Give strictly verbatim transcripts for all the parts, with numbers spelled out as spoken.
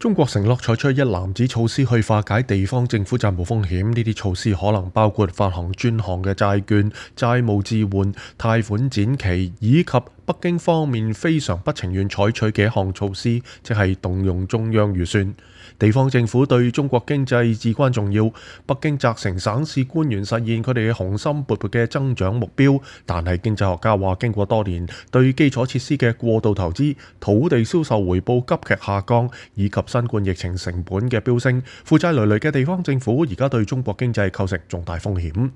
中國承諾採取一籃子措施去化解地方政府債務風險，呢啲措施可能包括發行專項嘅債券、債務置換、貸款展期，以及北京方面非常不情願採取嘅一項措施，即係動用中央預算。地方政府對中國經濟至關重要，北京責成省市官員實現佢哋嘅雄心勃勃嘅增長目標，但係經濟學家話，經過多年對基礎設施嘅過度投資、土地銷售回報急劇下降，以及新冠疫情成本嘅飆升，負債累累嘅地方政府而家對中國經濟構成重大風險。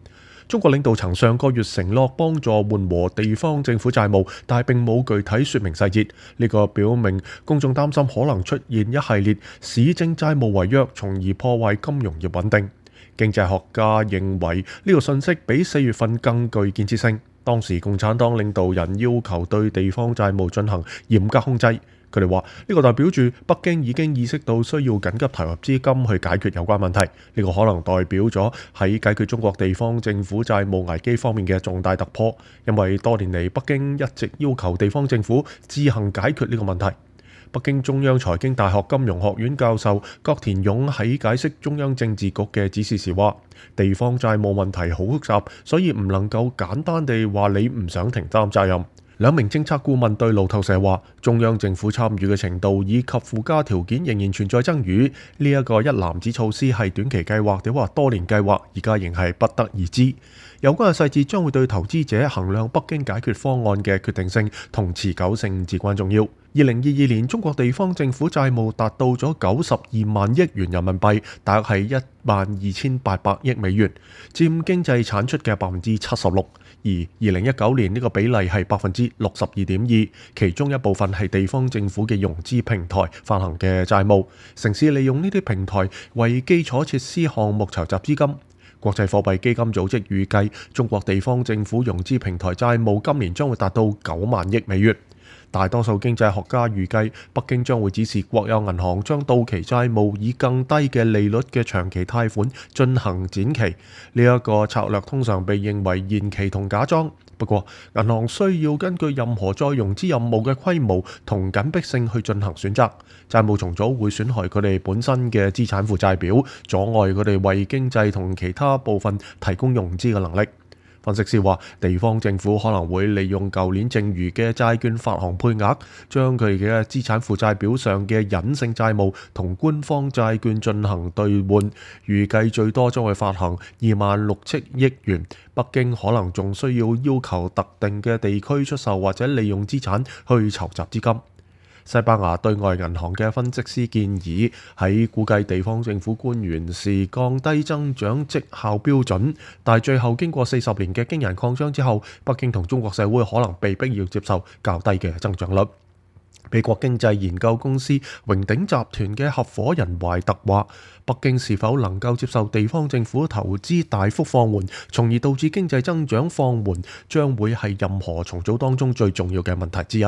中國領導層上個月承諾幫助緩和地方政府債務，但係並冇具體說明細節。呢個表明公眾擔心可能出現一系列市政債務違約，從而破壞金融業穩定。經濟學家認為呢個信息比四月份更具建設性。當時共產黨領導人要求對地方債務進行嚴格控制。佢哋話呢個代表住北京已經意識到需要緊急投入資金去解決有關問題。呢個可能代表咗喺解決中國地方政府債務危機方面嘅重大突破，因為多年嚟北京一直要求地方政府自行解決呢個問題。北京中央財經大學金融學院教授葛田勇喺解釋中央政治局嘅指示時話：地方債務問題好複雜，所以唔能夠簡單地話你唔想承擔責任。兩名政策顧問對路透社話，中央政府參與嘅程度以及附加條件仍然存在爭議。呢一個一籃子措施係短期計劃定或多年計劃，而家仍係不得而知。有關嘅細節將會對投資者衡量北京解決方案嘅決定性同持久性至關重要。二零二二年，中國地方政府債務達到咗九十二萬億元人民幣，大約係一萬二千八百億美元，佔經濟產出嘅百分之七十六。而二零一九年呢個比例係百分之六十二點二，其中一部分係地方政府嘅融資平台發行嘅債務，城市利用呢啲平台為基礎設施項目籌集資金。國際貨幣基金組織預計，中國地方政府融資平台債務今年將會達到九萬億美元。大多數經濟學家預計，北京將會指示國有銀行將到期債務以更低嘅利率嘅長期貸款進行展期。呢一個策略通常被認為延期同假裝。不過，銀行需要根據任何再融資任務嘅規模同緊迫性去進行選擇。債務重組會損害佢哋本身嘅資產負債表，阻礙佢哋為經濟同其他部分提供融資嘅能力。分析師話，地方政府可能會利用舊年剩餘嘅債券發行配額，將佢嘅資產負債表上嘅隱性債務同官方債券進行兌換，預計最多將會發行二萬六千億元。北京可能仲需要要求特定嘅地區出售或者利用資產去籌集資金。西班牙對外銀行嘅分析師建議，喺估計地方政府官員時降低增長績效標準，但最後經過四十年嘅驚人擴張之後，北京同中國社會可能被逼要接受較低嘅增長率。美國經濟研究公司榮鼎集團嘅合夥人懷特話，北京是否能夠接受地方政府投資大幅放緩，從而導致經濟增長放緩，將會係任何重組當中最重要嘅問題之一。